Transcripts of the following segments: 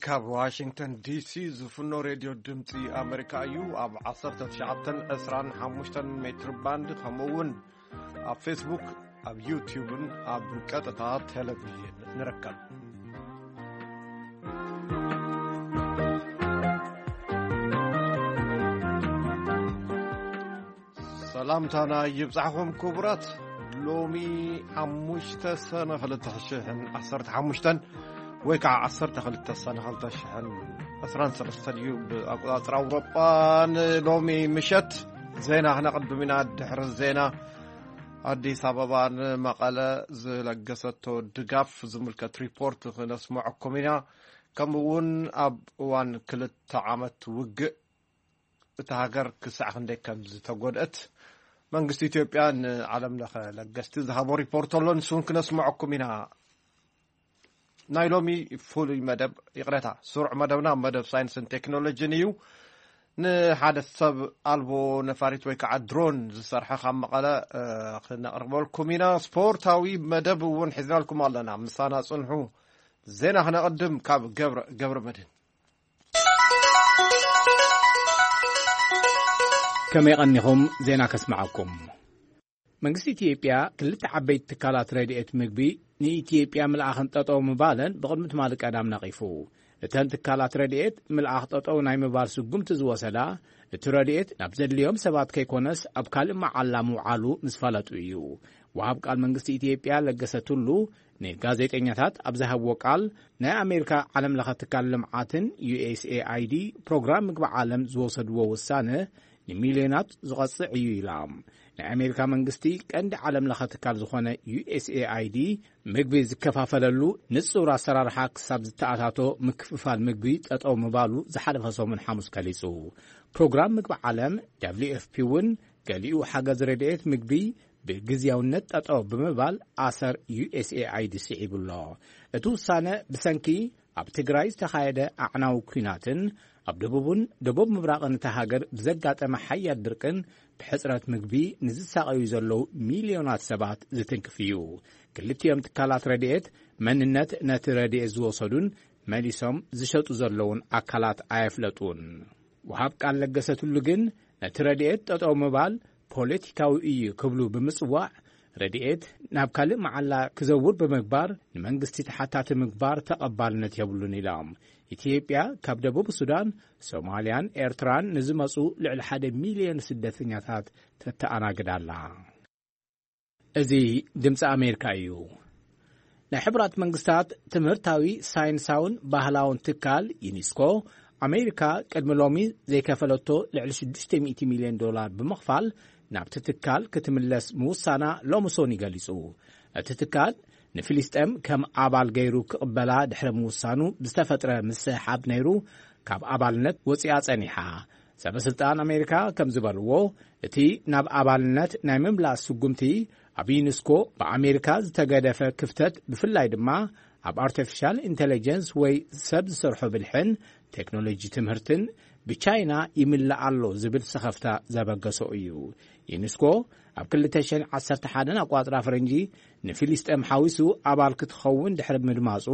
ካብ ዋሽንግተን ዲሲ ዝፍኖ ሬድዮ ድምፂ ኣሜሪካ እዩ። ኣብ ዓሰርተ ትሽዓተን ዕስራን ሓሙሽተን ሜትር ባንድ፣ ከምኡ እውን ኣብ ፌስቡክ፣ ኣብ ዩቲዩብን ኣብ ቀጥታ ቴሌቪዥን ንርከብ። ሰላምታና ይብጻሕኹም ክቡራት። ሎሚ ሓሙሽተ ሰነ ክልተ ሽሕን ዓሰርተ ሓሙሽተን ወይ ከዓ ዓሰርተ ክልተ ሰነ ክልተ ሽሕን ዕስራን ሰለስተን እዩ ብኣቆጻጽራ ኣውሮጳ። ንሎሚ ምሸት ዜና ክነቕድም ኢና። ድሕሪ ዜና፣ ኣዲስ ኣበባ ንመቐለ ዝለገሰቶ ድጋፍ ዝምልከት ሪፖርት ክነስምዐኩም ኢና። ከምኡ እውን ኣብ እዋን ክልተ ዓመት ውግእ እታ ሃገር ክሳዕ ክንደይ ከም ዝተጎድአት መንግስቲ ኢትዮጵያ ንዓለም ለኸ ለገስቲ ዝሃቦ ሪፖርት ኣሎ። ንሱ እውን ክነስምዐኩም ኢና። ናይ ሎሚ ፍሉይ መደብ፣ ይቕሬታ፣ ስሩዕ መደብና ኣብ መደብ ሳይንስን ቴክኖሎጂን እዩ። ንሓደ ሰብ ኣልቦ ነፋሪት ወይ ከዓ ድሮን ዝሰርሐ ካብ መቐለ፣ እ፣ ክነቕርበልኩም ኢና። ስፖርታዊ መደብ እውን ሒዝናልኩም ኣለና። ምሳና ጽንሑ። ዜና ክነቕድም ካብ ገብረ፣ ገብረ መድህን። ከመይ ቀኒኹም? ዜና ከስምዓኩም። መንግስቲ ኢትዮጵያ ክልተ ዓበይቲ ትካላት ረድኤት ምግቢ ንኢትዮጵያ ምልኣኽን ጠጠው ምባለን ብቕድሚ ትማሊ ቀዳም ነቒፉ። እተን ትካላት ረድኤት ምልኣኽ ጠጠው ናይ ምባል ስጉምቲ ዝወሰዳ፣ እቲ ረድኤት ናብ ዘድልዮም ሰባት ከይኮነስ ኣብ ካልእ መዓላ ምውዓሉ ምስ ፈለጡ እዩ። ወሃብ ቃል መንግስቲ ኢትዮጵያ ለገሰ ቱሉ ንጋዜጠኛታት ኣብ ዝሃብዎ ቃል፣ ናይ ኣሜሪካ ዓለም ለኸ ትካል ልምዓትን ዩ ኤስ ኤ ኣይ ዲ ፕሮግራም ምግቢ ዓለም ዝወሰድዎ ውሳነ ንሚልዮናት ዝቐጽዕ እዩ ኢላ። ናይ ኣሜሪካ መንግስቲ ቀንዲ ዓለም ለኸ ትካል ዝኾነ ዩ ኤስ ኤ ኣይ ዲ ምግቢ ዝከፋፈለሉ ንጹር ኣሰራርሓ ክሳብ ዝተኣታቶ፣ ምክፍፋል ምግቢ ጠጠው ምባሉ ዝሓለፈ ሰሙን ሓሙስ ገሊጹ። ፕሮግራም ምግቢ ዓለም፣ ደብሊው ኤፍ ፒ፣ እውን ገሊኡ ሓገዝ ረድኤት ምግቢ ብግዝያውነት ጠጠው ብምባል ኣሰር ዩ ኤስ ኤ ኣይ ዲ ስዒቡ ኣሎ። እቲ ውሳነ ብሰንኪ ኣብ ትግራይ ዝተኻየደ ኣዕናዊ ኲናትን ኣብ ደቡብን ደቡብ ምብራቕን እታ ሃገር ብዘጋጠመ ሓያል ድርቅን ብሕጽረት ምግቢ ንዝሳቐዩ ዘለዉ ሚልዮናት ሰባት ዝትንክፍ እዩ። ክልቲኦም ትካላት ረድኤት መንነት ነቲ ረድኤት ዝወሰዱን መሊሶም ዝሸጡ ዘለዉን ኣካላት ኣየፍለጡን። ወሃብ ቃል ለገሰ ቱሉ ግን ነቲ ረድኤት ጠጠው ምባል ፖለቲካዊ እዩ ክብሉ ብምጽዋዕ፣ ረድኤት ናብ ካልእ መዓላ ክዘውር ብምግባር ንመንግስቲ ተሓታቲ ምግባር ተቐባልነት የብሉን ኢሎም። ኢትዮጵያ ካብ ደቡብ ሱዳን፣ ሶማልያን ኤርትራን ንዝመጹ ልዕሊ ሓደ ሚልዮን ስደተኛታት ተተኣናግድ ኣላ። እዚ ድምፂ ኣሜሪካ እዩ። ናይ ሕቡራት መንግስታት ትምህርታዊ፣ ሳይንሳውን ባህላውን ትካል ዩኒስኮ፣ ኣሜሪካ ቅድሚ ሎሚ ዘይከፈለቶ ልዕሊ ሽዱሽተ ሚእቲ ሚልዮን ዶላር ብምኽፋል ናብቲ ትካል ክትምለስ ምውሳና ሎሚ ሶኒ ገሊጹ። እቲ ትካል ንፊሊስጤም ከም ኣባል ገይሩ ክቕበላ ድሕሪ ምውሳኑ ብዝተፈጥረ ምስሕሓብ ነይሩ ካብ ኣባልነት ወፂኣ ጸኒሓ። ሰበ ስልጣን ኣሜሪካ ከም ዝበልዎ፣ እቲ ናብ ኣባልነት ናይ ምምላስ ስጉምቲ ኣብ ዩኒስኮ ብኣሜሪካ ዝተገደፈ ክፍተት፣ ብፍላይ ድማ ኣብ ኣርቲፊሻል ኢንተለጀንስ ወይ ሰብ ዝሰርሖ ብልሕን ቴክኖሎጂ ትምህርትን ብቻይና ይምላእ ኣሎ ዝብል ሰኸፍታ ዘበገሶ እዩ። ዩኒስኮ ኣብ ክልተ ሽሕን ዓሰርተ ሓደን ኣቋጽራ ፈረንጂ ንፊሊስጤም ሓዊሱ ኣባል ክትኸውን ድሕሪ ምድማጹ፣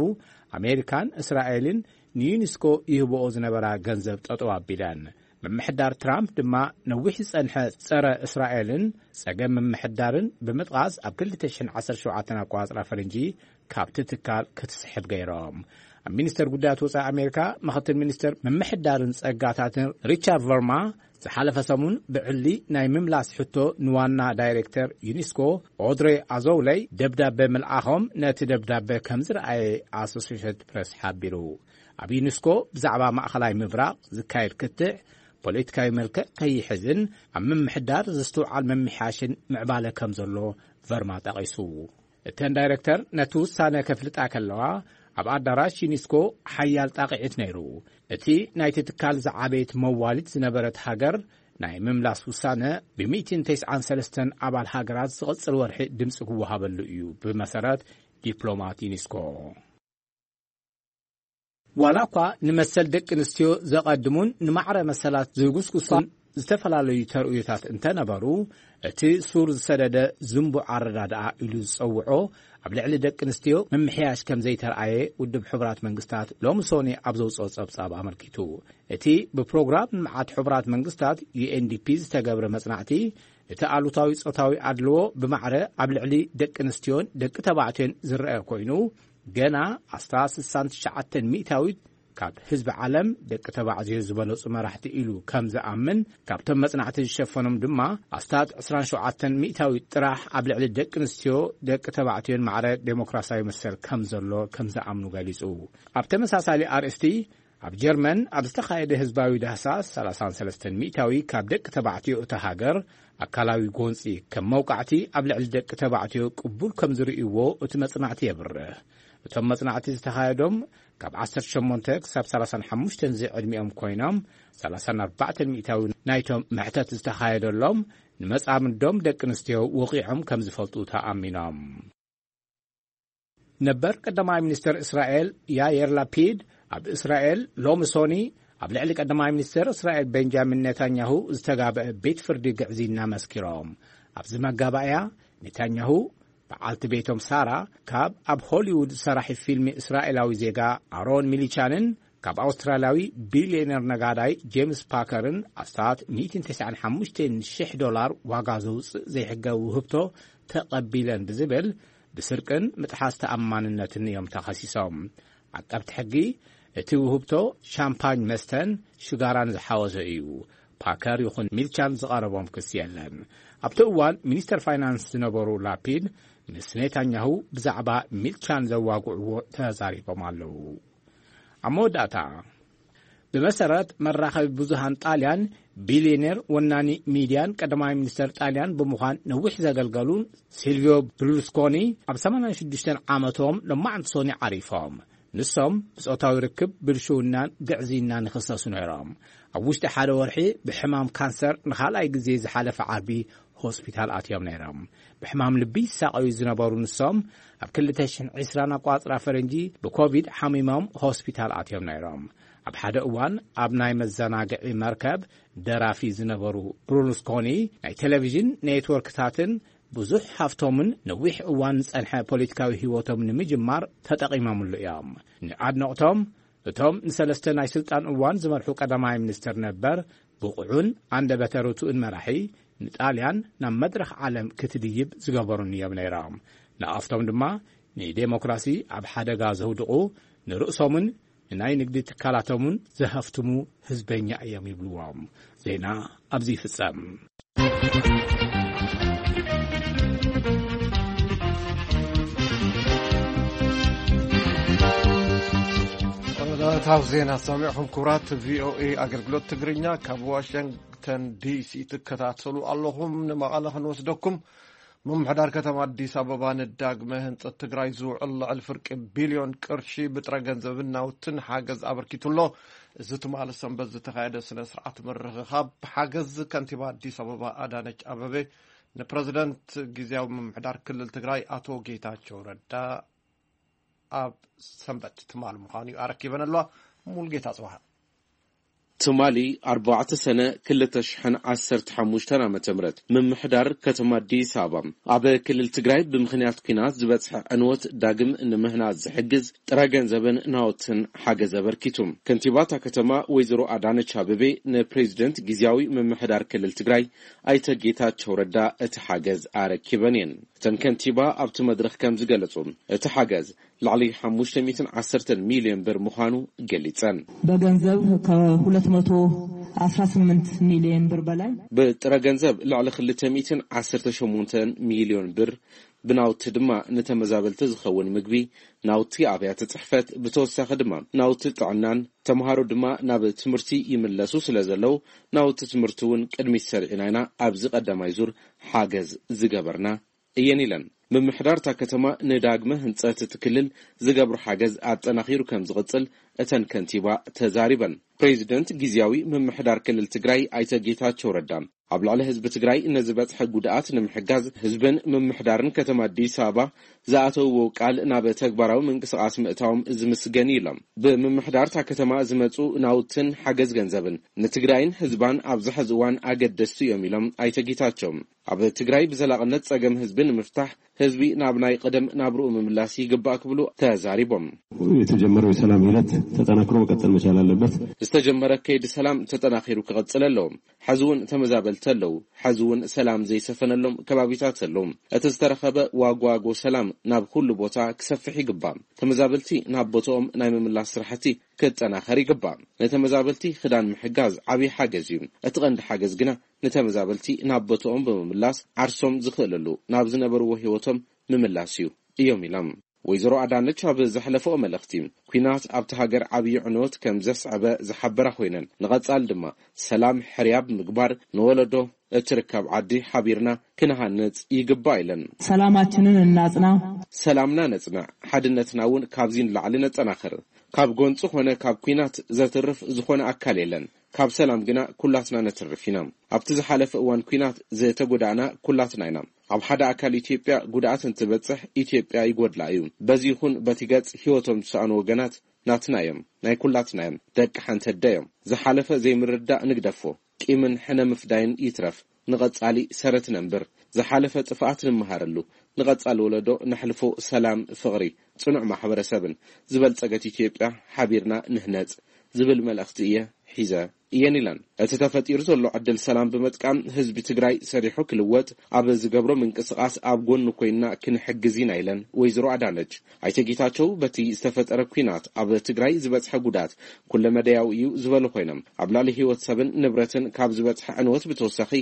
ኣሜሪካን እስራኤልን ንዩኒስኮ ይህብኦ ዝነበራ ገንዘብ ጠጠው ኣቢለን። ምምሕዳር ትራምፕ ድማ ነዊሕ ዝጸንሐ ጸረ እስራኤልን ጸገም ምምሕዳርን ብምጥቓስ፣ ኣብ ክልተ ሽሕን ዓሰርተ ሸውዓተን ኣቋጽራ ፈረንጂ ካብቲ ትካል ክትስሕብ ገይሮም። ኣብ ሚኒስተር ጉዳያት ወጻኢ ኣሜሪካ ምኽትል ሚኒስተር ምምሕዳርን ጸጋታትን ሪቻርድ ቨርማ ዝሓለፈ ሰሙን ብዕሊ ናይ ምምላስ ሕቶ ንዋና ዳይሬክተር ዩኒስኮ ኦድሬ ኣዞውለይ ደብዳበ ምልኣኾም ነቲ ደብዳበ ከም ዝረኣየ ኣሶሲየትድ ፕሬስ ሓቢሩ። ኣብ ዩኒስኮ ብዛዕባ ማእኸላይ ምብራቕ ዝካየድ ክትዕ ፖለቲካዊ መልክዕ ከይሕዝን ኣብ ምምሕዳር ዝስትውዓል ምምሕያሽን ምዕባለ ከም ዘሎ ቨርማ ጠቒሱ። እተን ዳይረክተር ነቲ ውሳነ ከፍልጣ ከለዋ፣ ኣብ ኣዳራሽ ዩኒስኮ ሓያል ጣቕዒት ነይሩ። እቲ ናይቲ ትካል ዝዓበየት መዋሊት ዝነበረት ሃገር ናይ ምምላስ ውሳነ ብ ሚእትን ተስዓን ሰለስተን ኣባል ሃገራት ዝቕጽል ወርሒ ድምጺ ክወሃበሉ እዩ፣ ብመሰረት ዲፕሎማት ዩኒስኮ። ዋላ እኳ ንመሰል ደቂ ኣንስትዮ ዘቐድሙን ንማዕረ መሰላት ዝጉስጉሱን ዝተፈላለዩ ተርእዮታት እንተነበሩ፣ እቲ ሱር ዝሰደደ ዝንቡዕ ኣረዳድኣ ኢሉ ዝጸውዖ ኣብ ልዕሊ ደቂ ኣንስትዮ ምምሕያሽ ከም ዘይተርኣየ ውድብ ሕቡራት መንግስታት ሎሚ ሶኒ ኣብ ዘውጽኦ ጸብጻብ ኣመልኪቱ። እቲ ብፕሮግራም ልምዓት ሕቡራት መንግስታት፣ ዩ ኤን ዲ ፒ፣ ዝተገብረ መጽናዕቲ፣ እቲ ኣሉታዊ ጾታዊ ኣድልዎ ብማዕረ ኣብ ልዕሊ ደቂ ኣንስትዮን ደቂ ተባዕትዮን ዝረአ ኮይኑ፣ ገና ኣስታት ስሳን ትሽዓተን ሚእታዊት ካብ ህዝቢ ዓለም ደቂ ተባዕትዮ ዝበለጹ መራሕቲ ኢሉ ከም ዝኣምን፣ ካብቶም መጽናዕቲ ዝሸፈኖም ድማ ኣስታት ዕስራን ሸውዓተን ሚእታዊት ጥራሕ ኣብ ልዕሊ ደቂ ኣንስትዮ ደቂ ተባዕትዮን ማዕረ ዴሞክራሲያዊ መሰል ከም ዘሎ ከም ዝኣምኑ ገሊጹ። ኣብ ተመሳሳሊ ኣርእስቲ፣ ኣብ ጀርመን ኣብ ዝተኻየደ ህዝባዊ ዳህሳስ፣ ሰላሳን ሰለስተን ሚእታዊ ካብ ደቂ ተባዕትዮ እታ ሃገር ኣካላዊ ጎንጺ ከም መውቃዕቲ ኣብ ልዕሊ ደቂ ተባዕትዮ ቅቡል ከም ዝርእይዎ እቲ መጽናዕቲ የብርህ። እቶም መጽናዕቲ ዝተኻየዶም ካብ ዓሰርተ ሸሞንተ ክሳብ ሰላሳን ሓሙሽተን ዝዕድሚኦም ኮይኖም፣ ሰላሳን ኣርባዕተን ሚእታዊ ናይቶም መሕተት ዝተኻየደሎም ንመጻምዶም ደቂ ኣንስትዮ ወቒዖም ከም ዝፈልጡ ተኣሚኖም። ነበር ቀዳማይ ሚኒስተር እስራኤል ያየር ላፒድ ኣብ እስራኤል ሎሚ ሶኒ ኣብ ልዕሊ ቀዳማይ ሚኒስተር እስራኤል ቤንጃሚን ኔታንያሁ ዝተጋብአ ቤት ፍርዲ ግዕዝይና መስኪሮም። ኣብዚ መጋባእያ፣ ኔታንያሁ፣ በዓልቲ ቤቶም ሳራ፣ ካብ ኣብ ሆሊውድ ሰራሒ ፊልሚ እስራኤላዊ ዜጋ ኣሮን ሚሊቻንን ካብ ኣውስትራልያዊ ቢልዮነር ነጋዳይ ጄምስ ፓከርን ኣስታት ሚእትን ተስዓን ሓሙሽተን ሽሕ ዶላር ዋጋ ዘውፅእ ዘይሕጋዊ ውህብቶ ተቐቢለን ብዝብል ብስርቅን ምጥሓስ ተኣማንነትን እዮም ተኸሲሶም። ዓቀብቲ ሕጊ፣ እቲ ውህብቶ ሻምፓኝ መስተን ሽጋራን ዝሓወሰ እዩ። ፓከር ይኹን ሚልቻን ዝቐረቦም ክሲ የለን። ኣብቲ እዋን ሚኒስተር ፋይናንስ ዝነበሩ ላፒድ ምስ ኔታንያሁ ብዛዕባ ሚልቻን ዘዋግዕዎ ተዛሪቦም ኣለዉ። ኣብ መወዳእታ፣ ብመሰረት መራኸቢ ብዙሃን ጣልያን፣ ቢልዮኔር ወናኒ ሚድያን ቀዳማይ ሚኒስተር ጣልያን ብምዃን ነዊሕ ዘገልገሉን ሲልቪዮ ብርሉስኮኒ ኣብ ሰማንያን ሽዱሽተን ዓመቶም ሎማዕንቲ ሶኒ ዓሪፎም። ንሶም ብጾታዊ ርክብ፣ ብልሽውናን ግዕዝይናን ይኽሰሱ ነይሮም። ኣብ ውሽጢ ሓደ ወርሒ ብሕማም ካንሰር ንኻልኣይ ግዜ ዝሓለፈ ዓርቢ ሆስፒታል ኣትዮም ነይሮም። ብሕማም ልቢ ይሳቐዩ ዝነበሩ ንሶም፣ ኣብ ክልተ ሽሕን ዕስራን ኣቋጽራ ፈረንጂ ብኮቪድ ሓሚሞም ሆስፒታል ኣትዮም ነይሮም። ኣብ ሓደ እዋን ኣብ ናይ መዘናግዒ መርከብ ደራፊ ዝነበሩ ብሩሉስኮኒ፣ ናይ ቴሌቪዥን ኔትወርክታትን ብዙሕ ሃፍቶምን ነዊሕ እዋን ዝጸንሐ ፖለቲካዊ ህይወቶም ንምጅማር ተጠቒሞምሉ እዮም። ንኣድነቕቶም፣ እቶም ንሰለስተ ናይ ስልጣን እዋን ዝመርሑ ቀዳማይ ሚኒስትር ነበር፣ ብቑዑን ኣንደበተ ርቱእን መራሒ፣ ንጣልያን ናብ መድረኽ ዓለም ክትድይብ ዝገበሩን እዮም ነይሮም። ንኣፍቶም ድማ ንዴሞክራሲ ኣብ ሓደጋ ዘውድቑ፣ ንርእሶምን ንናይ ንግዲ ትካላቶምን ዘሀፍትሙ ህዝበኛ እዮም ይብልዎም። ዜና ኣብዚ ይፍጸም። ጠቕላላዊ ዜና ሰሚዕኹም። ክቡራት ቪኦኤ ኣገልግሎት ትግርኛ ካብ ዋሽንግተን ዲሲ ትከታተሉ ኣለኹም። ንመቐለ ክንወስደኩም። ምምሕዳር ከተማ ኣዲስ ኣበባ ንዳግመ ህንጸት ትግራይ ዝውዕል ልዕሊ ፍርቂ ቢልዮን ቅርሺ ብጥረ ገንዘብን ናውትን ሓገዝ ኣበርኪቱ ኣሎ። እዚ ትማሊ ሰንበት ዝተኻየደ ስነ ስርዓት ምርኽኻብ ሓገዝ ከንቲባ ኣዲስ ኣበባ ኣዳነች ኣበቤ ንፕረዚደንት ግዝያዊ ምምሕዳር ክልል ትግራይ ኣቶ ጌታቸው ረዳ ኣብ ሰንበት ትማሊ ምዃኑ እዩ ኣረኪበን ኣለዋ። ሙሉጌታ ጽባሃ። ትማሊ ኣርባዕተ ሰነ ክልተ ሽሕን ዓሰርተ ሓሙሽተን ዓመተ ምህረት ምምሕዳር ከተማ ኣዲስ ኣበባ ኣብ ክልል ትግራይ ብምኽንያት ኲናት ዝበጽሐ ዕንወት ዳግም ንምህናጽ ዝሕግዝ ጥረ ገንዘብን ናውትን ሓገዝ ኣበርኪቱ። ከንቲባ እታ ከተማ ወይዘሮ ኣዳነች ኣበቤ ንፕሬዚደንት ግዝያዊ ምምሕዳር ክልል ትግራይ ኣይተ ጌታቸው ረዳ እቲ ሓገዝ ኣረኪበን እየን። እተን ከንቲባ ኣብቲ መድረኽ ከም ዝገለጹ፣ እቲ ሓገዝ ልዕሊ ሓሙሽተ ሚእትን ዓሰርተን ሚልዮን ብር ምዃኑ ገሊጸን። በገንዘብ ከ ሁለት መቶ አስራ ስምንት ሚልዮን ብር በላይ። ብጥረ ገንዘብ ልዕሊ ክልተ ሚእትን ዓሰርተ ሸሞንተን ሚልዮን ብር፣ ብናውቲ ድማ ንተመዛበልቲ ዝኸውን ምግቢ፣ ናውቲ ኣብያተ ጽሕፈት፣ ብተወሳኺ ድማ ናውቲ ጥዕናን፣ ተምሃሮ ድማ ናብ ትምህርቲ ይምለሱ ስለ ዘለዉ፣ ናውቲ ትምህርቲ እውን ቅድሚት ሰሪዕና ኢና ኣብዚ ቀዳማይ ዙር ሓገዝ ዝገበርና እየን ኢለን። ምምሕዳር እታ ከተማ ንዳግመ ህንጸት እቲ ክልል ዝገብሮ ሓገዝ ኣጠናኺሩ ከም ዝቕጽል እተን ከንቲባ ተዛሪበን። ፕሬዚደንት ግዝያዊ ምምሕዳር ክልል ትግራይ ኣይተ ጌታቸው ረዳ ኣብ ልዕሊ ህዝቢ ትግራይ ንዝበፅሐ ጉድኣት ንምሕጋዝ ህዝብን ምምሕዳርን ከተማ ኣዲስ ኣበባ ዝኣተውዎ ቃል ናብ ተግባራዊ ምንቅስቃስ ምእታዎም ዝምስገን እዩ ኢሎም። ብምምሕዳር እታ ከተማ ዝመፁ ናውትን ሓገዝ ገንዘብን ንትግራይን ህዝባን ኣብዚ ሕዚ እዋን ኣገደስቲ እዮም ኢሎም ኣይተ ጌታቸው። ኣብ ትግራይ ብዘላቕነት ጸገም ህዝቢ ንምፍታሕ ህዝቢ ናብ ናይ ቀደም ናብርኡ ምምላስ ይግባእ ክብሉ ተዛሪቦም። የተጀመረው የሰላም ሂደት ተጠናክሮ መቀጠል መቻል አለበት። ዝተጀመረ ከይዲ ሰላም ተጠናኺሩ ክቐጽል ኣለዎ። ሕዚ እውን ተመዛበልቲ ኣለዉ። ሕዚ እውን ሰላም ዘይሰፈነሎም ከባቢታት ኣለዉ። እቲ ዝተረኸበ ዋጓጎ ሰላም ናብ ኩሉ ቦታ ክሰፍሕ ይግባእ። ተመዛበልቲ ናብ ቦታኦም ናይ ምምላስ ስራሕቲ ክጠናኸር ይግባእ። ንተመዛበልቲ ክዳን ምሕጋዝ ዓብዪ ሓገዝ እዩ። እቲ ቀንዲ ሓገዝ ግና ንተመዛበልቲ ናብ ቦታኦም ብምምላስ ዓርሶም ዝኽእልሉ ናብ ዝነበርዎ ህይወቶም ምምላስ እዩ እዮም ኢሎም። ወይዘሮ ኣዳነች ኣብ ዘሕለፈኦ መልእኽቲ፣ ኲናት ኣብቲ ሃገር ዓብዪ ዕንወት ከም ዘስዐበ ዝሓበራ ኮይነን፣ ንቐጻሊ ድማ ሰላም ሕርያብ ምግባር ንወለዶ እትርከብ ዓዲ ሓቢርና ክንሃንጽ ይግባእ ኢለን። ሰላማችንን እናጽና። ሰላምና ነጽንዕ፣ ሓድነትና እውን ካብዚ ንላዕሊ ነጠናኽር። ካብ ጎንጺ ኮነ ካብ ኲናት ዘትርፍ ዝኾነ ኣካል የለን። ካብ ሰላም ግና ኩላትና ነትርፍ ኢና። ኣብቲ ዝሓለፈ እዋን ኲናት ዝተጎዳእና ኩላትና ኢና። ኣብ ሓደ ኣካል ኢትዮጵያ ጉድኣት እንትበጽሕ ኢትዮጵያ ይጎድላ እዩ። በዚ ይኹን በቲ ገጽ ህይወቶም ዝሰኣኑ ወገናት ናትና እዮም፣ ናይ ኩላትና እዮም፣ ደቂ ሓንቲ ኣደ እዮም። ዝሓለፈ ዘይምርዳእ ንግደፎ። ቂምን ሕነ ምፍዳይን ይትረፍ፣ ንቐጻሊ ሰረት ነንብር። ዝሓለፈ ጥፍኣት ንምሃረሉ፣ ንቐጻሊ ወለዶ ነሕልፎ ሰላም፣ ፍቕሪ፣ ጽኑዕ ማሕበረሰብን ዝበልጸገት ኢትዮጵያ ሓቢርና ንህነጽ ዝብል መልእኽቲ እየ ሒዘ እየን ኢለን። እቲ ተፈጢሩ ዘሎ ዕድል ሰላም ብምጥቃም ህዝቢ ትግራይ ሰሪሑ ክልወጥ ኣብ ዝገብሮ ምንቅስቃስ ኣብ ጎኑ ኮይንና ክንሕግዝ ኢና ኢለን ወይዘሮ ኣዳነች። ኣይተ ጌታቸው በቲ ዝተፈጠረ ኲናት ኣብ ትግራይ ዝበፅሐ ጉዳት ኩለመዳያዊ እዩ ዝበሉ ኮይኖም፣ ኣብ ልዕሊ ህይወት ሰብን ንብረትን ካብ ዝበፅሐ ዕንወት ብተወሳኺ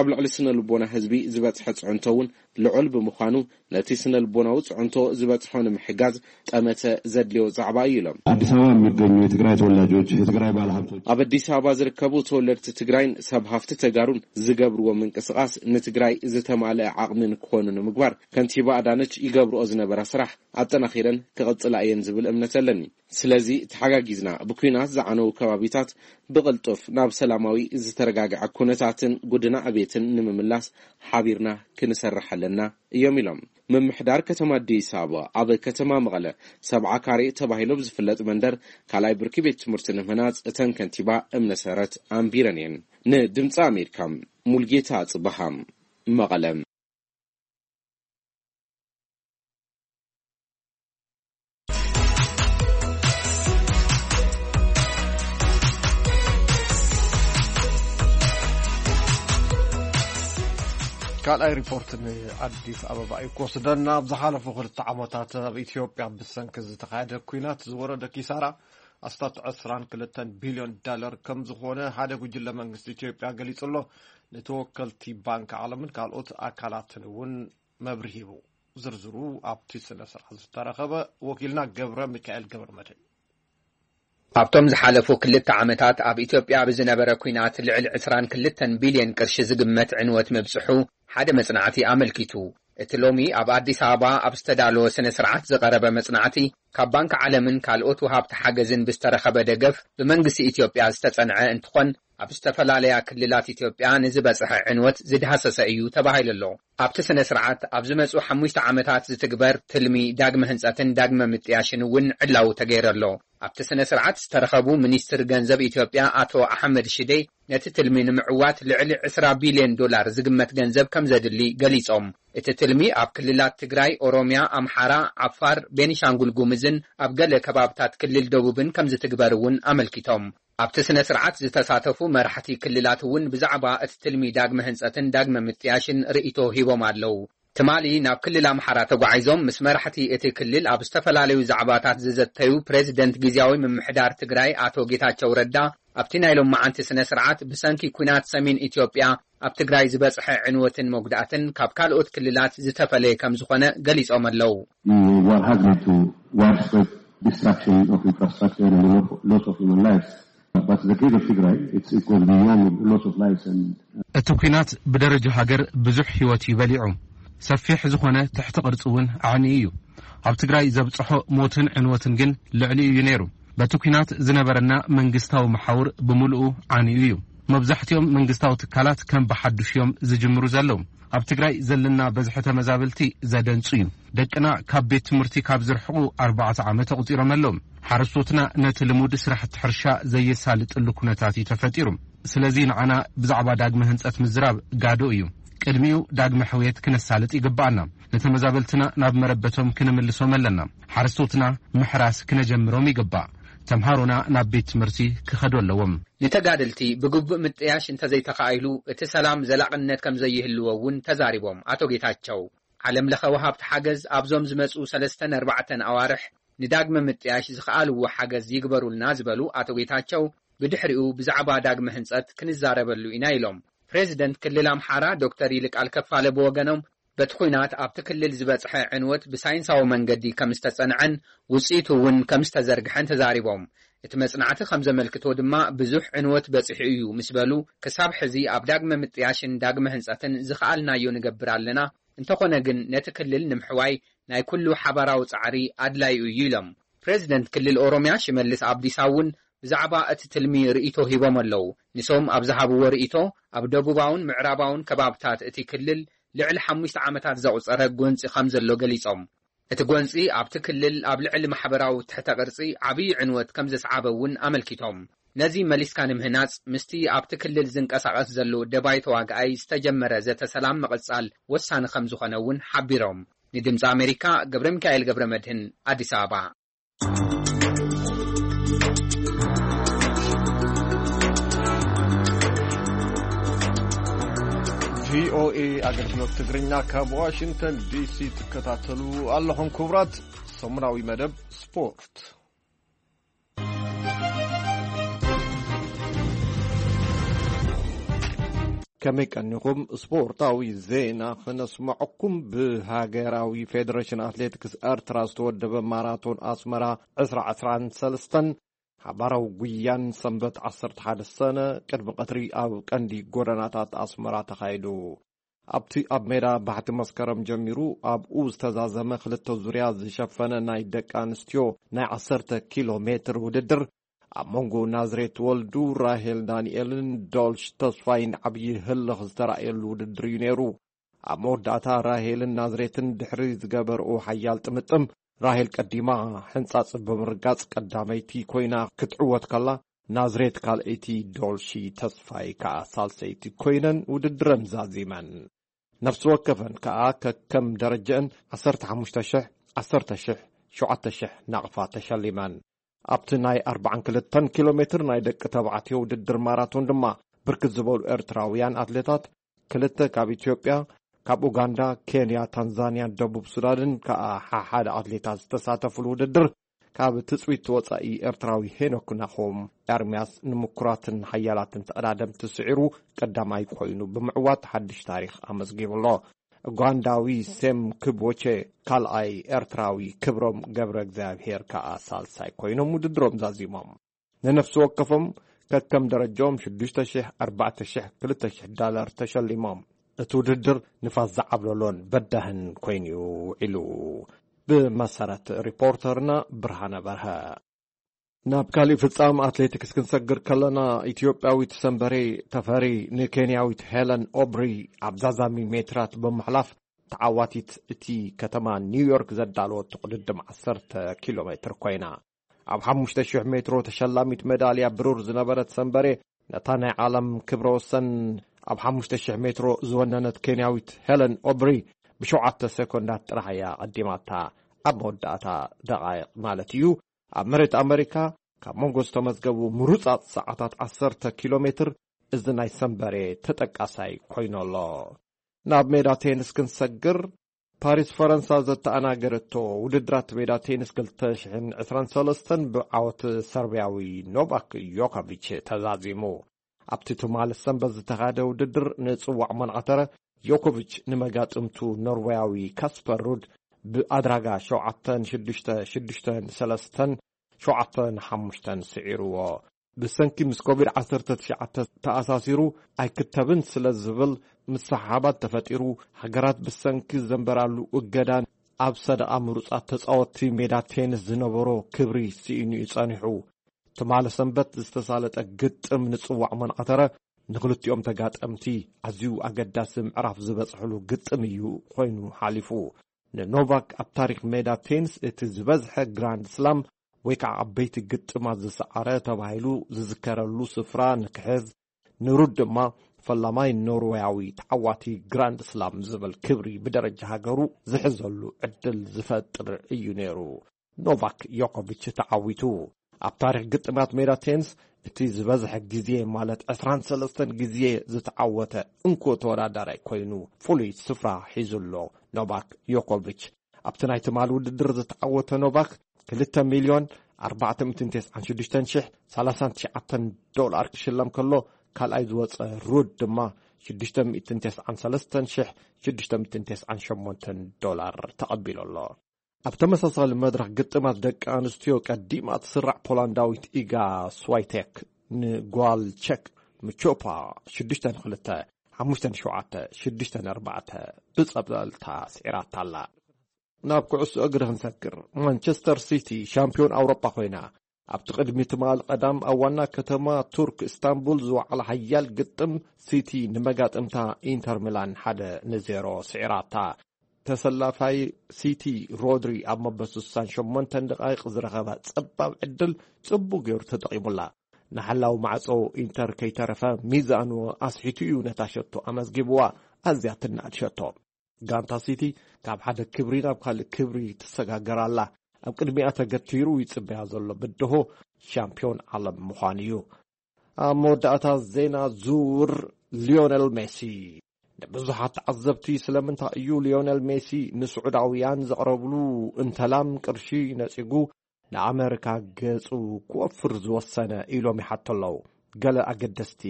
ኣብ ልዕሊ ስነ ልቦና ህዝቢ ዝበፅሐ ፅዕንቶ እውን ልዑል ብምዃኑ ነቲ ስነ ልቦናዊ ፅዕንቶ ዝበፅሖ ንምሕጋዝ ጠመተ ዘድልዮ ዛዕባ እዩ ኢሎም። አዲስ አበባ የሚገኙ የትግራይ ተወላጆች፣ የትግራይ ባለሀብቶች። ኣብ ኣዲስ ኣበባ ዝርከቡ ተወለድቲ ትግራይን ሰብ ሃፍቲ ተጋሩን ዝገብርዎ ምንቅስቃስ ንትግራይ ዝተማልአ ዓቕሚ ንክኾኑ ንምግባር ከንቲባ ኣዳነች ይገብርኦ ዝነበራ ስራሕ ኣጠናኺረን ክቕጽላ እየን ዝብል እምነት ኣለኒ። ስለዚ ተሓጋጊዝና ብኲናት ዝዓነዉ ከባቢታት ብቕልጡፍ ናብ ሰላማዊ ዝተረጋግዐ ኩነታትን ጉድና ዕቤትን ንምምላስ ሓቢርና ክንሰርሕ ኣለና እዮም ኢሎም። ምምሕዳር ከተማ ኣዲስ ኣበባ ኣብ ከተማ መቐለ ሰብዓ ካሬ ተባሂሉ ብዝፍለጥ መንደር ካልኣይ ብርኪ ቤት ትምህርቲ ንምህናፅ እተን ከንቲባ እምነ ሰረት ኣንቢረን እየን። ንድምፂ ኣሜሪካ ሙልጌታ ጽበሃ መቐለ። ካልኣይ ሪፖርት ንኣዲስ ኣበባ እዩ ክወስደና። ኣብ ዝሓለፉ ክልተ ዓመታት ኣብ ኢትዮጵያ ብሰንኪ ዝተኻየደ ኲናት ዝወረደ ኪሳራ ኣስታት ዕስራን ክልተን ቢልዮን ዳለር ከም ዝኾነ ሓደ ጉጅለ መንግስቲ ኢትዮጵያ ገሊጹ ኣሎ። ንተወከልቲ ባንክ ዓለምን ካልኦት ኣካላትን እውን መብርሂ ሂቡ። ዝርዝሩ ኣብቲ ስነ ስርዓት ዝተረኸበ ወኪልና ገብረ ሚካኤል ገብረ መድህን። ኣብቶም ዝሓለፉ ክልተ ዓመታት ኣብ ኢትዮጵያ ብዝነበረ ኲናት ልዕሊ ዕስራን ክልተን ቢልዮን ቅርሺ ዝግመት ዕንወት ምብጽሑ ሓደ መጽናዕቲ ኣመልኪቱ። እቲ ሎሚ ኣብ ኣዲስ ኣበባ ኣብ ዝተዳለወ ስነ ስርዓት ዝቐረበ መጽናዕቲ፣ ካብ ባንክ ዓለምን ካልኦት ወሃብቲ ሓገዝን ብዝተረኸበ ደገፍ ብመንግስቲ ኢትዮጵያ ዝተጸንዐ እንትኾን፣ ኣብ ዝተፈላለያ ክልላት ኢትዮጵያ ንዝበጽሐ ዕንወት ዝዳህሰሰ እዩ ተባሂሉ ኣሎ። ኣብቲ ስነ ስርዓት ኣብ ዝመጹ ሓሙሽተ ዓመታት ዝትግበር ትልሚ ዳግመ ህንጸትን ዳግመ ምጥያሽን እውን ዕላዊ ተገይሩ ኣሎ። ኣብቲ ስነ ስርዓት ዝተረኸቡ ሚኒስትር ገንዘብ ኢትዮጵያ ኣቶ ኣሕመድ ሽዴ፣ ነቲ ትልሚ ንምዕዋት ልዕሊ ዕስራ ቢልዮን ዶላር ዝግመት ገንዘብ ከም ዘድሊ ገሊጾም። እቲ ትልሚ ኣብ ክልላት ትግራይ፣ ኦሮሚያ፣ ኣምሓራ፣ ዓፋር፣ ቤኒሻንጉል ጉምዝን ኣብ ገለ ከባብታት ክልል ደቡብን ከም ዝትግበር እውን ኣመልኪቶም። ኣብቲ ስነ ስርዓት ዝተሳተፉ መራሕቲ ክልላት እውን ብዛዕባ እቲ ትልሚ ዳግመ ህንጸትን ዳግመ ምጥያሽን ርእይቶ ሂቦም ኣለዉ። ትማሊ ናብ ክልል ኣምሓራ ተጓዒዞም ምስ መራሕቲ እቲ ክልል ኣብ ዝተፈላለዩ ዛዕባታት ዝዘተዩ ፕሬዚደንት ግዝያዊ ምምሕዳር ትግራይ ኣቶ ጌታቸው ረዳ፣ ኣብቲ ናይ ሎማዓንቲ ስነ ስርዓት ብሰንኪ ኲናት ሰሜን ኢትዮጵያ ኣብ ትግራይ ዝበጽሐ ዕንወትን መጉዳእትን ካብ ካልኦት ክልላት ዝተፈለየ ከም ዝኾነ ገሊጾም ኣለዉ። The war has led to widespread destruction of infrastructure and loss of human lives. But the case of Tigray, it's, it goes beyond loss of lives and እቲ ኲናት ብደረጃ ሃገር ብዙሕ ህይወት እዩ በሊዑ። ሰፊሕ ዝኾነ ትሕቲ ቅርጺ እውን ዓንዩ እዩ። ኣብ ትግራይ ዘብጽሖ ሞትን ዕንወትን ግን ልዕሊኡ እዩ ነይሩ። በቲ ኲናት ዝነበረና መንግስታዊ መሓውር ብምሉኡ ዓንዩ እዩ። መብዛሕትኦም መንግስታዊ ትካላት ከም ብሓዱሽ እዮም ዝጅምሩ ዘለዉ። ኣብ ትግራይ ዘለና በዝሒ ተመዛበልቲ ዘደንጹ እዩ። ደቅና ካብ ቤት ትምህርቲ ካብ ዝርሕቑ ኣርባዕተ ዓመት ኣቑጺሮም ኣለዉ። ሓረስቶትና ነቲ ልሙድ ስራሕቲ ሕርሻ ዘየሳልጥሉ ኩነታት እዩ ተፈጢሩ። ስለዚ ንዓና ብዛዕባ ዳግመ ህንጸት ምዝራብ ጋዶ እዩ። ቅድሚኡ ዳግመ ሕውየት ክነሳልጥ ይግብኣና። ንተመዛበልትና ናብ መረበቶም ክንምልሶም ኣለና። ሓረስቶትና ምሕራስ ክነጀምሮም ይግባእ። ተምሃሮና ናብ ቤት ትምህርቲ ክኸዱ ኣለዎም። ንተጋደልቲ ብግቡእ ምጥያሽ እንተዘይተኻኢሉ፣ እቲ ሰላም ዘላቕነት ከም ዘይህልዎ እውን ተዛሪቦም ኣቶ ጌታቸው። ዓለም ለኸ ወሃብቲ ሓገዝ ኣብዞም ዝመጹ ሰለስተን ኣርባዕተን ኣዋርሕ ንዳግመ ምጥያሽ ዝኸኣልዎ ሓገዝ ይግበሩልና ዝበሉ ኣቶ ጌታቸው፣ ብድሕሪኡ ብዛዕባ ዳግመ ህንጸት ክንዛረበሉ ኢና ኢሎም። ፕሬዚደንት ክልል ኣምሓራ ዶክተር ይልቃል ከፋለ ብወገኖም፣ በቲ ኲናት ኣብቲ ክልል ዝበጽሐ ዕንወት ብሳይንሳዊ መንገዲ ከም ዝተጸንዐን ውጽኢቱ እውን ከም ዝተዘርግሐን ተዛሪቦም። እቲ መጽናዕቲ ከም ዘመልክቶ ድማ ብዙሕ ዕንወት በጺሑ እዩ ምስ በሉ፣ ክሳብ ሕዚ ኣብ ዳግመ ምጥያሽን ዳግመ ህንጸትን ዝኸኣልናዮ ንገብር ኣለና፣ እንተኾነ ግን ነቲ ክልል ንምሕዋይ ናይ ኩሉ ሓባራዊ ጻዕሪ ኣድላዩ እዩ ኢሎም። ፕሬዚደንት ክልል ኦሮምያ ሽመልስ ኣብዲሳ እውን ብዛዕባ እቲ ትልሚ ርእይቶ ሂቦም ኣለዉ። ንሶም ኣብ ዝሃብዎ ርእይቶ፣ ኣብ ደቡባውን ምዕራባውን ከባብታት እቲ ክልል ልዕሊ ሓሙሽተ ዓመታት ዘቑጸረ ጎንጺ ከም ዘሎ ገሊጾም። እቲ ጎንጺ ኣብቲ ክልል ኣብ ልዕሊ ማሕበራዊ ትሕተ ቅርጺ ዓብዪ ዕንወት ከም ዘስዓበ እውን ኣመልኪቶም። ነዚ መሊስካ ንምህናጽ፣ ምስቲ ኣብቲ ክልል ዝንቀሳቐስ ዘሎ ደባይ ተዋግኣይ ዝተጀመረ ዘተ ሰላም ምቕጻል ወሳኒ ከም ዝኾነ እውን ሓቢሮም። ንድምጺ ኣሜሪካ፣ ገብረ ሚካኤል ገብረ መድህን፣ ኣዲስ ኣበባ። ቪኦኤ ኣገልግሎት ትግርኛ ካብ ዋሽንግተን ዲሲ ትከታተሉ ኣለኹም። ክቡራት፣ ሰሙናዊ መደብ ስፖርት። ከመይ ቀኒኹም? ስፖርታዊ ዜና ክነስምዐኩም። ብሃገራዊ ፌደሬሽን ኣትሌቲክስ ኤርትራ ዝተወደበ ማራቶን ኣስመራ ዕስራ ዕስራን ሰለስተን ሓባራዊ ጉያን ሰንበት ዓሰርተ ሓደ ሰነ ቅድሚ ቀትሪ ኣብ ቀንዲ ጎደናታት ኣስመራ ተኻይዱ። ኣብቲ ኣብ ሜዳ ባሕቲ መስከረም ጀሚሩ ኣብኡ ዝተዛዘመ ክልተ ዙርያ ዝሸፈነ ናይ ደቂ ኣንስትዮ ናይ ዓሰርተ ኪሎ ሜትር ውድድር ኣብ መንጎ ናዝሬት ወልዱ፣ ራሄል ዳንኤልን ዶልሽ ተስፋይን ዓብዪ ህልኽ ዝተራእየሉ ውድድር እዩ ነይሩ። ኣብ መወዳእታ ራሄልን ናዝሬትን ድሕሪ ዝገበርኦ ሓያል ጥምጥም፣ ራሄል ቀዲማ ሕንጻጽ ብምርጋጽ ቀዳመይቲ ኮይና ክትዕወት ከላ፣ ናዝሬት ካልኣይቲ፣ ዶልሺ ተስፋይ ከኣ ሳልሰይቲ ኮይነን ውድድረን ዛዚመን። ነፍሲ ወከፈን ከኣ ከከም ደረጀአን ዓሰርተ ሓሙሽተ ሽሕ፣ ዓሰርተ ሽሕ፣ ሸውዓተ ሽሕ ናቕፋ ተሸሊመን። ኣብቲ ናይ ኣርባዓን ክልተን ኪሎ ሜትር ናይ ደቂ ተባዕትዮ ውድድር ማራቶን ድማ ብርክት ዝበሉ ኤርትራውያን ኣትሌታት፣ ክልተ ካብ ኢትዮጵያ፣ ካብ ኡጋንዳ፣ ኬንያ፣ ታንዛንያን ደቡብ ሱዳንን ከኣ ሓሓደ ኣትሌታት ዝተሳተፉሉ ውድድር፣ ካብ ትጽቢት ወጻኢ ኤርትራዊ ሄኖክ ናሆም ኤርምያስ ንምኩራትን ሓያላትን ተቐዳደምቲ ስዒሩ ቀዳማይ ኮይኑ ብምዕዋት ሓድሽ ታሪኽ ኣመዝጊቡ ኣሎ። ኡጋንዳዊ ሴም ክቦቼ ካልኣይ፣ ኤርትራዊ ክብሮም ገብረ እግዚኣብሄር ከኣ ሳልሳይ ኮይኖም ውድድሮም ዛዚሞም። ንነፍሲ ወከፎም ከከም ደረጃኦም ሽዱሽተ ሽሕ፣ ኣርባዕተ ሽሕ፣ ክልተ ሽሕ ዳላር ተሸሊሞም። እቲ ውድድር ንፋስ ዝዓብለሎን በዳህን ኮይኑ ውዒሉ። ብመሰረት ሪፖርተርና ብርሃነ በርሀ። ናብ ካሊእ ፍጻም ኣትሌቲክስ ክንሰግር ከለና፣ ኢትዮጵያዊት ሰንበሬ ተፈሪ ንኬንያዊት ሄለን ኦብሪ ኣብ ዛዛሚ ሜትራት ብምሕላፍ ተዓዋቲት እቲ ከተማ ኒውዮርክ ዘዳለወት ቅድድም ዓሰርተ ኪሎ ሜትር ኮይና። ኣብ ሓሙሽተ ሽሕ ሜትሮ ተሸላሚት ሜዳልያ ብሩር ዝነበረት ሰንበሬ፣ ነታ ናይ ዓለም ክብረ ወሰን ኣብ ሓሙሽተ ሽሕ ሜትሮ ዝወነነት ኬንያዊት ሄለን ኦብሪ ብሸውዓተ ሴኮንዳት ጥራሕ እያ ቀዲማታ። ኣብ መወዳእታ ደቓይቕ ማለት እዩ፣ ኣብ መሬት ኣመሪካ ካብ መንጎ ዝተመዝገቡ ምሩጻት ሰዓታት ዓሰርተ ኪሎ ሜትር እዚ ናይ ሰንበሬ ተጠቃሳይ ኮይኑ ኣሎ። ናብ ሜዳ ቴንስ ክንሰግር፣ ፓሪስ ፈረንሳ ዘተኣናገረቶ ውድድራት ሜዳ ቴንስ ክልተ ሽሕን ዕስራን ሰለስተን ብዓወት ሰርብያዊ ኖቫክ ዮኮቪች ተዛዚሙ። ኣብቲ ትማሊ ሰንበት ዝተኻየደ ውድድር ንጽዋዕ መንዓተረ ዮኮቪች ንመጋጥምቱ ኖርወያዊ ካስፐር ሩድ ብኣድራጋ ሸውዓተን ሽዱሽተ፣ ሽዱሽተን ሰለስተን፣ ሸውዓተን ሓሙሽተን ስዒርዎ። ብሰንኪ ምስ ኮቪድ ዓሰርተ ትሽዓተ ተኣሳሲሩ ኣይክተብን ስለ ዝብል ምስሕሓባት ተፈጢሩ፣ ሃገራት ብሰንኪ ዘንበራሉ እገዳን ኣብ ሰደቓ ምሩጻት ተጻወትቲ ሜዳ ቴንስ ዝነበሮ ክብሪ ስኢኑ እዩ ጸኒሑ። ትማሊ ሰንበት ዝተሳለጠ ግጥም ንጽዋዕ መንዓተረ ንኽልቲኦም ተጋጠምቲ ኣዝዩ ኣገዳሲ ምዕራፍ ዝበጽሕሉ ግጥም እዩ ኮይኑ ሓሊፉ። ንኖቫክ ኣብ ታሪኽ ሜዳ ቴኒስ እቲ ዝበዝሐ ግራንድ ስላም ወይ ከዓ ዓበይቲ ግጥማት ዝሰዓረ ተባሂሉ ዝዝከረሉ ስፍራ ንክሕዝ፣ ንሩድ ድማ ፈላማይ ኖርወያዊ ተዓዋቲ ግራንድ ስላም ዝብል ክብሪ ብደረጃ ሃገሩ ዝሕዘሉ ዕድል ዝፈጥር እዩ ነይሩ። ኖቫክ ዮኮቪች ተዓዊቱ። ኣብ ታሪኽ ግጥማት ሜዳ ቴንስ እቲ ዝበዝሐ ግዜ ማለት ዕስራን ሰለስተን ግዜ ዝተዓወተ እንኮ ተወዳዳራይ ኮይኑ ፍሉይ ስፍራ ሒዙ ኣሎ። ኖቫክ ዮኮቪች ኣብቲ ናይ ትማል ውድድር ዝተዓወተ ኖቫክ ክልተ ሚልዮን ኣርባዕተ ሚእትን ተስዓን ሽዱሽተን ሽሕ ሰላሳን ትሽዓተን ዶላር ክሽለም ከሎ፣ ካልኣይ ዝወፀ ሩድ ድማ ሽዱሽተ ሚእትን ተስዓን ሰለስተን ሽሕ ሽዱሽተ ሚእትን ተስዓን ሸሞንተን ዶላር ተቐቢሉ ኣሎ። ኣብ ተመሳሳሊ መድረኽ ግጥማት ደቂ ኣንስትዮ ቀዲማ ትስራዕ ፖላንዳዊት ኢጋ ስዋይቴክ ንጓል ቸክ ምቾፓ ሽዱሽተ ንክልተ፣ ሓሙሽተ ንሸውዓተ፣ ሽዱሽተ ንኣርባዕተ ብጸብለልታ ስዒራታ ኣላ። ናብ ኩዕሶ እግሪ ክንሰግር፣ ማንቸስተር ሲቲ ሻምፒዮን ኣውሮጳ ኮይና፣ ኣብቲ ቅድሚ ትማል ቀዳም ኣብ ዋና ከተማ ቱርክ እስታንቡል ዝወዓለ ሓያል ግጥም፣ ሲቲ ንመጋጥምታ ኢንተር ሚላን ሓደ ንዜሮ ስዒራታ። ተሰላፋይ ሲቲ ሮድሪ ኣብ መበል ስሳን ሸሞንተን ደቓይቕ ዝረኸባ ጸባብ ዕድል ጽቡቕ ገይሩ ተጠቒሙላ። ንሓላው ማዕጾ ኢንተር ከይተረፈ ሚዛኑ ኣስሒቱ እዩ ነታ ሸቶ ኣመዝጊብዋ። ኣዝያ ትናኣድ ሸቶ። ጋንታ ሲቲ ካብ ሓደ ክብሪ ናብ ካልእ ክብሪ ትሰጋገር ኣላ። ኣብ ቅድሚኣ ተገቲሩ ይጽበያ ዘሎ ብድሆ ሻምፒዮን ዓለም ምዃን እዩ። ኣብ መወዳእታ ዜና ዝውውር፣ ሊዮነል ሜሲ። ንብዙሓት ተዓዘብቲ ስለምንታይ እዩ ሊዮነል ሜሲ ንስዑዳውያን ዘቕረብሉ እንተላም ቅርሺ ነጺጉ ንኣመሪካ ገጹ ክወፍር ዝወሰነ ኢሎም ይሓቱ ኣለዉ። ገለ ኣገደስቲ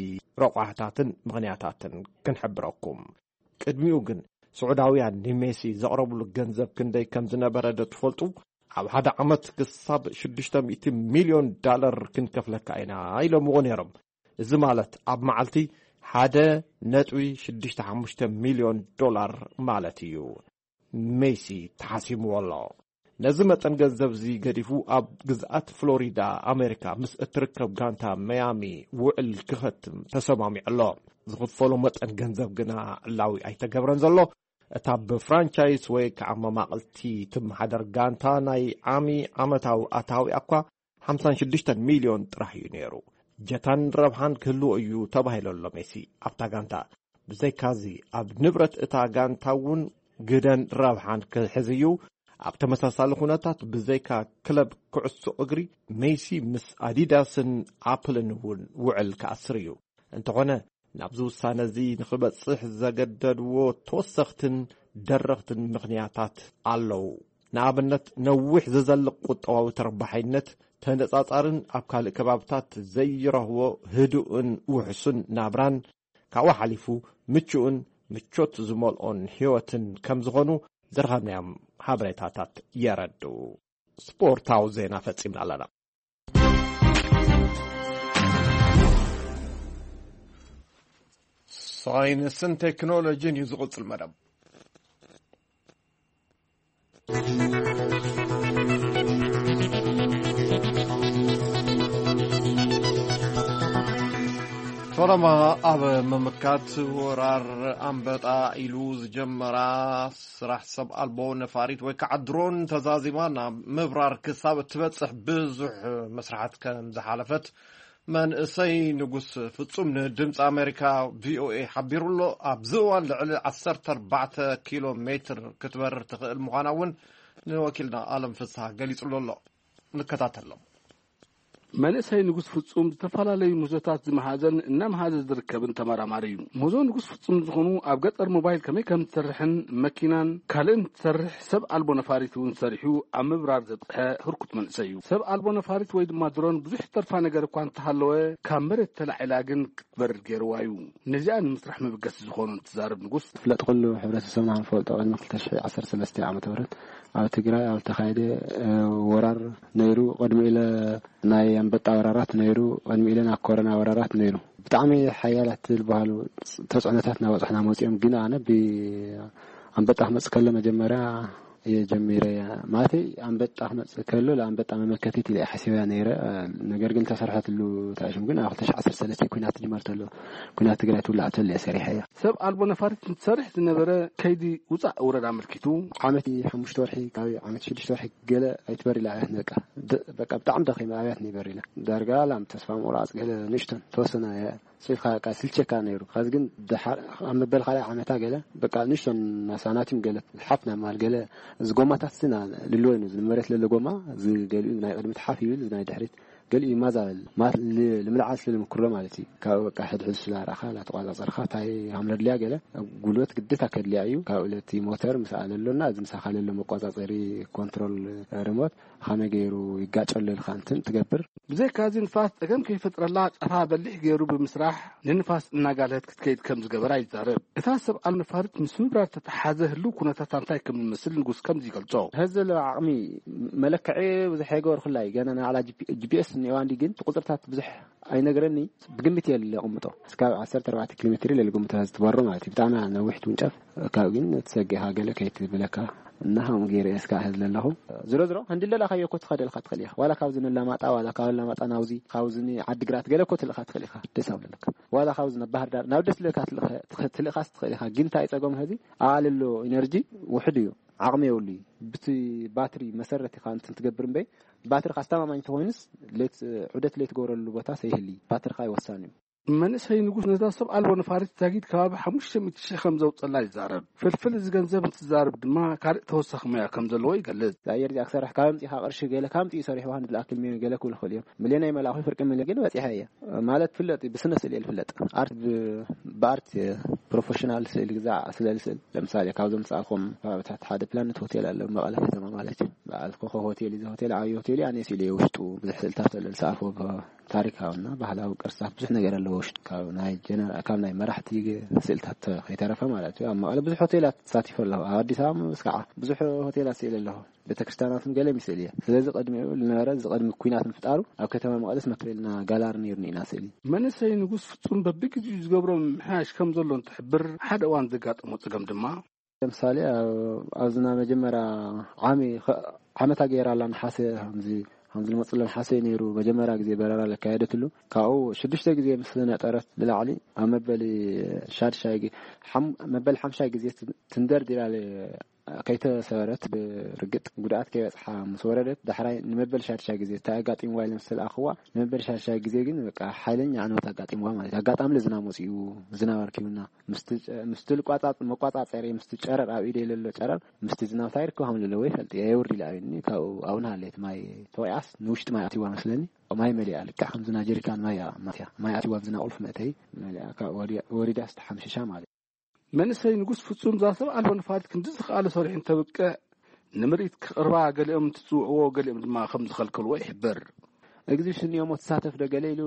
ረቋሕታትን ምኽንያታትን ክንሕብረኩም። ቅድሚኡ ግን ስዑዳውያን ንሜሲ ዘቕረብሉ ገንዘብ ክንደይ ከም ዝነበረ ዶ ትፈልጡ? ኣብ ሓደ ዓመት ክሳብ ሽዱሽተ ሚእቲ ሚልዮን ዳለር ክንከፍለካ ኢና ኢሎምዎ ነይሮም። እዚ ማለት ኣብ መዓልቲ ሓደ ነጥቢ ሽዱሽተ ሓሙሽተ ሚልዮን ዶላር ማለት እዩ። ሜሲ ተሓሲምዎ ኣሎ። ነዚ መጠን ገንዘብ እዚ ገዲፉ ኣብ ግዝኣት ፍሎሪዳ ኣሜሪካ ምስ እትርከብ ጋንታ መያሚ ውዕል ክኸትም ተሰማሚዑ ኣሎ። ዝኽፈሎ መጠን ገንዘብ ግና ዕላዊ ኣይተገብረን ዘሎ። እታ ብፍራንቻይዝ ወይ ከዓ መማቕልቲ ትመሓደር ጋንታ ናይ ዓሚ ዓመታዊ ኣታዊኣ እኳ ሓምሳን ሽዱሽተን ሚልዮን ጥራሕ እዩ ነይሩ። ጀታን ረብሓን ክህልዎ እዩ ተባሂሉ ኣሎ ሜሲ ኣብታ ጋንታ። ብዘይካዚ ኣብ ንብረት እታ ጋንታ እውን ግደን ረብሓን ክሕዝ እዩ። ኣብ ተመሳሳሊ ኩነታት ብዘይካ ክለብ ኩዕሶ እግሪ ሜሲ ምስ ኣዲዳስን ኣፕልን እውን ውዕል ክኣስር እዩ። እንተኾነ ናብዚ ውሳነ እዚ ንኽበጽሕ ዘገደድዎ ተወሰኽትን ደረኽትን ምኽንያታት ኣለዉ። ንኣብነት ነዊሕ ዝዘልቕ ቁጠባዊ ተረባሓይነት ተነጻጻርን ኣብ ካልእ ከባብታት ዘይረኽቦ ህዱእን ውሕሱን ናብራን ካብኡ ሓሊፉ ምቹእን ምቾት ዝመልኦን ህይወትን ከም ዝኾኑ ዝረኸብናዮም ሓበሬታታት የረድኡ። ስፖርታዊ ዜና ፈጺምና ኣለና። ሳይንስን ቴክኖሎጂን እዩ ዝቕጽል መደብ። ፈለማ ኣብ ምምካት ወራር ኣንበጣ ኢሉ ዝጀመራ ስራሕ ሰብ ኣልቦ ነፋሪት ወይ ከዓ ድሮን ተዛዚማ ናብ ምብራር ክሳብ እትበፅሕ ብዙሕ መስራሓት ከም ዝሓለፈት መንእሰይ ንጉስ ፍጹም ንድምፂ ኣሜሪካ ቪኦኤ ሓቢሩ ኣሎ። ኣብዚ እዋን ልዕሊ ዓሰርተ ኣርባዕተ ኪሎ ሜትር ክትበርር ትኽእል ምዃና እውን ንወኪልና ኣለም ፍስሃ ገሊጹሉ ኣሎ። ንከታተሎም። መንእሰይ ንጉስ ፍጹም ዝተፈላለዩ ምህዞታት ዝመሃዘን እናመሃዘ ዝርከብን ተመራማሪ እዩ። ምህዞ ንጉስ ፍጹም ዝኾኑ ኣብ ገጠር ሞባይል ከመይ ከም ትሰርሕን መኪናን ካልእን ትሰርሕ ሰብ ኣልቦ ነፋሪት እውን ሰሪሑ ኣብ ምብራር ዘጥቕሐ ህርኩት መንእሰይ እዩ። ሰብ ኣልቦ ነፋሪት ወይ ድማ ድሮን ብዙሕ ተርፋ ነገር እኳ እንተሃለወ ካብ መሬት ተላዒላ ግን ክትበርር ገይርዋ እዩ። ነዚኣ ንምስራሕ መበገሲ ዝኾኑ እንትዛረብ ንጉስ፣ ትፍለጥ ኩሉ ሕብረተሰብና ክንፈልጦ ቅድሚ ክልተ ሽሕ ዓሰርተ ሰለስተ ዓመተ ምህረት ኣብ ትግራይ ኣብ ዝተኻየደ፣ እ፣ ወራር ነይሩ። ቅድሚ ኢለ ናይ ኣንበጣ ወራራት ነይሩ። ቅድሚ ኢለ ናይ ኮሮና ወራራት ነይሩ። ብጣዕሚ ሓያላት ዝበሃሉ ተፅዕኖታት እናበፅሑና መፂኦም። ግን ኣነ ብ-፣ ኣንበጣ ክመፅእ ከሎ መጀመርያ እየ ጀሚረ። ማለተይ ኣንበጣ ክመፅእ ከሎ ለኣንበጣ መመከቲት ኢለ እየ ሓሲበያ ነይረ። ነገር ግን ተሰርሐትሉ ተኣሽም ግን ኣብ ክልተ ሽሕ ዓሰርተ ሰለስተ ኩናት ትጅመር ተሎ፣ ኩናት ትግራይ ትውላዕ ተሎ እየ ሰሪሐ እያ። ሰብ ኣልቦ ነፋሪት እንትሰርሕ ዝነበረ ከይዲ ውፃእ ውረድ ኣመልኪቱ፣ ዓመት ሓሙሽተ ወርሒ ካብ ዓመት ሽዱሽተ ወርሒ ገለ ኣይትበር ኢላ ኣብያት በቃ። በቃ ብጣዕሚ ደኺመ ኣብያት ይበር ኢለ ዳርጋ ላም ተስፋ ምቑራፅ ገለ ንእሽቶን ተወሰነ እየ። ስልካ በቃ ስልቸካ ነይሩ። ከዚ ግን ድሓር ኣብ መበል ካልኣይ ዓመታ ገለ በቃ ንእሽቶን ናሳናቲም ገለ ሓፍ ናብ ማል ገለ እዚ ጎማታት ስና ልልወ ነው። እዚ መሬት ለለ ጎማ እዚ ገሊኡ ናይ ቅድሚት ሓፍ ይብል፣ እዚ ናይ ድሕሪት ገሊኡ ይማዛበል። ማለት ል-፣ ልምልዓል ስለ ልምክሮ ማለት እዩ። ካብ በቃ ሕድሕድ ስላ ረኣኻ ላተቋጻጸርካ እንታይ ሃምረድልያ ገለ ጉልበት ግዴታ ከድልያ እዩ። ካብ ዕለት ሞተር ምስ ኣለሎና እዚ ምሳኻ ለሎ መቋጻጸሪ ኮንትሮል ሪሞት ኸመይ ገይሩ ይጋጨሉ ኢልካ እንትን ትገብር። ብዘይካዚ ንፋስ ጸገም ከይፈጥረላ ጫፋ በሊሕ ገይሩ ብምስራሕ ንንፋስ እናጋልሀት ክትከይድ ከም ዝገበራ ይዛረብ። እታ ሰብ ኣልነፋሪት ምስ ምብራር ተተሓዘ ህልው ኩነታት እንታይ ከም ዝመስል ንጉስ ከምዚ ይገልጾ። ሕዚ ዘሎ ዓቕሚ መለክዒ ብዙሕ ኣይገበርኩላ እዩ። ገና ናይ ባዕላ ጂ ፒ ኤስ እኒኦዋ እንዲ ግን እቲ ቁፅርታት ብዙሕ ኣይነግረኒ። ብግምት እየ ለቕምጦ። እስካብ ዓሰርተ ኣርባዕተ ኪሎ ሜትር ኢለ ልግምቶ። ሕዚ ትበሮ ማለት እዩ። ብጣዕሚ ነዊሕ ትውንጨፍ። ካብ ግን ትሰጊኻ ገለ ከይትብለካ እና ከምኡ ገይረ እየ እስካዕ ሕዚ ዘለኹ። ዝሮ ዝሮ፣ ህንዲ ለላኻዮ እኮ ትኸደልካ ትኽእል ኢኻ። ዋላ ካብዚ ንላማጣ፣ ዋላ ካብ ላማጣ ናብዚ፣ ካብዚ ንዓዲግራት ገለ እኮ ትልእኻ ትኽእል ኢኻ። ደስ ኣብ ለካ። ዋላ ካብዚ ናብ ባህር ዳር፣ ናብ ደስ ለካ ትልእኻ፣ ትኽ-፣ ትልእኻስ ትኽእል ኢኻ። ግን እንታይ ጸገሙ ሕዚ? ኣልሎ ኢነርጂ ውሕድ እዩ። ዓቕሚ የብሉ እዩ። ብቲ ባትሪ መሰረት ኢኻ እንትን ትገብር እምበይ፣ ባትሪ ካስተማማኝ ተኾይኑስ ሌት፣ ዑደት ለይትገብረሉ ቦታ ሰይህሊ። ባትሪኻ እዩ ወሳኒ እዩ። መንእሰይ ንጉስ ነዛ ሰብ ኣልቦ ነፋሪት ዛጊድ ከባቢ ሓሙሽተ ሚእቲ ሺሕ ከም ዘውጸላ ይዛረብ። ፍልፍል እዚ ገንዘብ እንትዛረብ ድማ ካልእ ተወሳኺ ሞያ ከም ዘለዎ ይገልጽ። ኣየር እዚኣ ክሰርሕ ካብ ኣምጺኻ ቅርሺ ገለ ካብ ኣምጺኡ ሰሪሕዋ ንብል ኣክል ሚሊዮን ገለ ክብሉ ይኽእሉ እዮም። ሚሊዮን ኣይመላእኹ ፍርቂ ሚሊዮን ግን በጺሐ እየ። ማለት ፍለጥ እዩ፣ ብስነ ስእሊ እየ ዝፍለጥ። ኣርት ብ-፣ ብኣርት እየ ፕሮፌሽናል ስእሊ ግዛዕ ስለ ዝስእል። ለምሳሌ ካብዞም ዝሰኣልኩም ከባብታት ሓደ ፕላኔት ሆቴል ኣሎ፣ መቐለ ከተማ ማለት እዩ። በዓል ኮኸብ ሆቴል እዩ። እዚ ሆቴል ዓብዪ ሆቴል እዩ። ኣነ ስእሊ እየ ውሽጡ ብዙሕ ስእልታት ኣሎ ዝሰኣልኩ ብ-፣ ታሪካዊና ባህላዊ ቅርስታት ብዙሕ ነገር ኣለዎ ውሽጡ። ካብ ናይ ጀነራ-፣ ካብ ናይ መራሕቲ ስእልታት ከይተረፈ ማለት እዩ። ኣብ መቐለ ብዙሕ ሆቴላት ተሳቲፈ ኣለኹ። ኣብ ኣዲስ ኣበባ ምስ ከዓ ብዙሕ ሆቴላት ስእሊ ኣለኹ። ቤተክርስትያናትን ገለ ይስእል እየ። ስለዚ ቅድሚኡ ዝነበረ፣ እዚ ቅድሚ ኩናት ምፍጣሩ ኣብ ከተማ መቐለስ መክበልና ጋላሪ ነይሩኒ ኢና ስእሊ። መንእሰይ ንጉስ ፍጹም በብግዜኡ ዝገብሮ ምምሕያሽ ከም ዘሎ እንትሕብር፣ ሓደ እዋን ዘጋጠሞ ጸገም ድማ ለምሳሌ ኣብ-፣ ኣብዚ ናይ መጀመርያ ዓሚ-፣ ኸ-፣ ዓመታ ገይራ ኣላ ነሓሰ፣ ከምዚ፣ ከምዚ ልመፅሎ ነሓሰ ነይሩ። መጀመርያ ግዜ በረራ ለካየደትሉ ካብኡ ሽዱሽተ ግዜ ምስ ነጠረት ንላዕሊ ኣብ መበሊ ሻድሻይ ግ-፣ ሓም-፣ መበሊ ሓምሻይ ግዜ ት-፣ ትንደርዲራ ለ-፣ ከይተሰበረት ብርግጥ ጉድኣት ከይበፅሓ ምስ ወረደት ዳሕራይ ንመበሊ ሻድሻይ ግዜ እንታይ ኣጋጢምዋ ኢለ ምስ ተለኣኽዋ፣ ንመበሊ ሻድሻይ ግዜ ግን በቃ ሓይለኛ ዕንወት ኣጋጢምዋ ማለት እዩ። ኣጋጣሚ ዝናብ መፂኡ፣ ዝናብ ኣርኪቡና። ምስቲ ጨ-፣ ምስቲ ልቋጻጽ-፣ መቋጻጸሪ፣ ምስቲ ጨረር ኣብ ኢደይ ለሎ ጨረር፣ ምስቲ ዝናብታ ይርከብ ከም ለለዎ ይፈልጥ እየ። የውርድ ኢለ ኣብኒ፣ ካብኡ ኣብኡ ንሃለየት ማይ ተወቂዓስ ንውሽጢ ማይ ኣትይዋ መስለኒ። ማይ መሊኣ ልክዕ ከምዚ ናይ ጀሪካን ማይ እያ ማትያ። ማይ ኣትይዋ ኣብዚ ናይ ቁልፊ መእተይ መሊኣ፣ ካብ ወዲ-፣ ወሪዳስ ተሓምሽሻ ማለት እዩ። መንእሰይ ንጉስ ፍጹም እዛ ሰብ ኣልቦ ነፋሪት ክንዲ ዝኸኣለ ሰሪሑ እንተብቅዕ፣ ንምርኢት ክቕርባ ገሊኦም እንትጽውዕዎ፣ ገሊኦም ድማ ከም ዝኸልከልዎ ይሕብር። ኤግዚቢሽን እዮሞ ትሳተፍ ዶ ገለ ኢሉ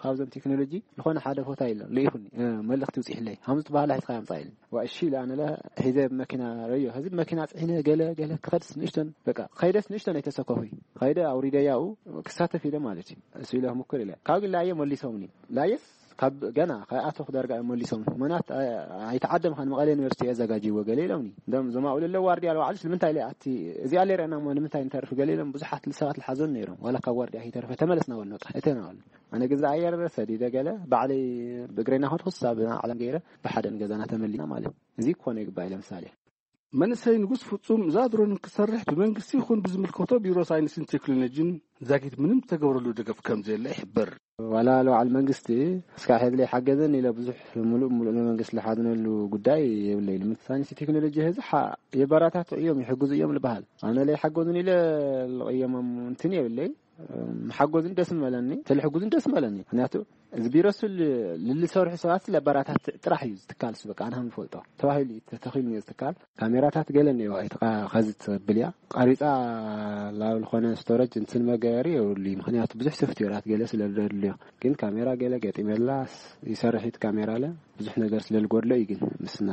ካብዞም ቴክኖሎጂ ዝኾነ ሓደ ቦታ ኢሎ ልኢኹኒ፣ እ፣ መልእኽቲ ውፅኢሕለይ። ከምዚ ትበሃላ ሒዝካ ኣምፃ ኢሉ። ዋ፣ እሺ ኢለ ኣነ ለ ሒዘ ብመኪና ረዮ። ሕዚ ብመኪና ፅዒነ ገለ፣ ገለ ክኸድስ ንእሽቶን፣ በቃ፣ ከይደስ ንእሽቶን ኣይተሰከፉይ። ከይደ ኣውሪደያኡ ክሳተፍ ኢለ ማለት እዩ። እሱ ኢለ ክምኩር ኢለ። ካብ ግን ላየ መሊሶምኒ። ላየስ ካብ ገና ከይኣተኹ ዳርጋ እዮም መሊሶም። ምኽንያት፣ ኣ-፣ ኣይተዓደምካን፣ መቐለ ዩኒቨርሲቲ የዘጋጅዎ ገለ ኢሎምኒ። እንደም እዞም ኣብኡ ለለዉ ዋርድያ ባዕሉስ ንምንታይ ኢለ ኣቲ፣ እዚኣ ለይረኣና እሞ ንምንታይ ንተርፍ ገለ ኢሎም ብዙሓት ሰባት ልሓዞን ነይሮም። ዋላ ካብ ዋርድያ ከይተረፈ ተመለስና በሉ፣ በቃ፣ እተና በሉ። ኣነ ግን ዝኣየር ሰዲደ ገለ ባዕለይ ብእግረይ እናኸድኩ ሳብ ዓለም ገይረ ብሓደ ንገዛና ተመሊና ማለት እዩ። እዚ ክኾነ ይግባእ እዩ። ለምሳሌ መንእሰይ ንጉስ ፍጹም እዛ ድሮን ክሰርሕ ብመንግስቲ ይኹን ብዝምልከቶ ቢሮ ሳይንስን ቴክኖሎጂን ዛጊት ምንም ዝተገብረሉ ደገፍ ከም ዘየለ ይሕብር። ዋላ ለባዕል መንግስቲ እስካዕ ሕዚ ለይሓገዘን ኢለ ብዙሕ ምሉእ ምሉእ ንመንግስቲ ልሓዝነሉ ጉዳይ የብለይ። ልምት ሳይንስ ቴክኖሎጂ ሕዚ ሓ-፣ የበራታትዑ እዮም፣ ይሕግዙ እዮም ልበሃል። ኣነ ለይሓገዙን ኢለ ልቕየሞም እንትን የብለይ። ምሓጎዝን ደስ ምበለኒ፣ ተልሕጉዝን ደስ ምበለኒ። ምክንያቱ እዚ ቢሮ እሱ ል-፣ ልልሰርሑ ሰባት ለበራታት ጥራሕ እዩ ዝትካል እሱ፣ በቃ ኣነ ከም ዝፈልጦ ተባሂሉ እዩ ተተኺሉ እዩ ዝትካል። ካሜራታት ገለ እኒኦ፣ ኣይትኻ ኸዚ ትብል እያ። ቀሪጻ ላብ ዝኾነ ስቶረጅ እንትን መገበሪ የብሉ እዩ። ምክንያቱ ብዙሕ ሶፍትዌራት ገለ ስለ ዘድልዮ። ግን ካሜራ ገለ ገጢመላ ስ-፣ ይሰርሕ እዩ እቲ ካሜራ ለ። ብዙሕ ነገር ስለ ዝጎድሎ እዩ ግን ምስና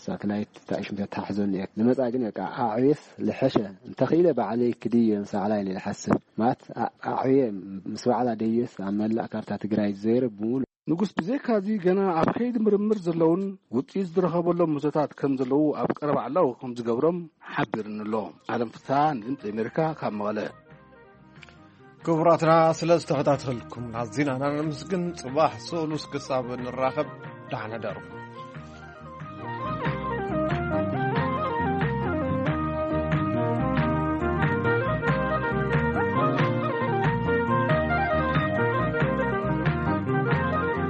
ሳተላይት ተኣሽም ተተሓሕዞን እየ። ዝመጻ ግን በቃ ኣዕብየስ ልሐሸ እንተኽኢለ ባዕለይ ክድዮ ንሳዕላ ኢለ ዝሓስብ። ማለት ኣ-፣ ኣዕብየ ምስ ባዕላ ደየስ ኣብ መላእ ካርታ ትግራይ ዘይረ ብምሉ ንጉስ ብዘይካዚ ገና ኣብ ከይዲ ምርምር ዘለውን ውፅኢት ዝረኸበሎም ምህዞታት ከም ዘለዉ ኣብ ቀረባ ዕላዊ ከም ዝገብሮም ሓቢርኒ ኣሎ። ኣለም ፍስሃ ንድምፂ ኣሜሪካ ካብ መቐለ። ክቡራትና፣ ስለ ዝተኸታተልኩም ኣዚና ነመስግን። ጽባሕ ሰሉስ ክሳብ ንራኸብ፣ ደሓን ሕደሩ።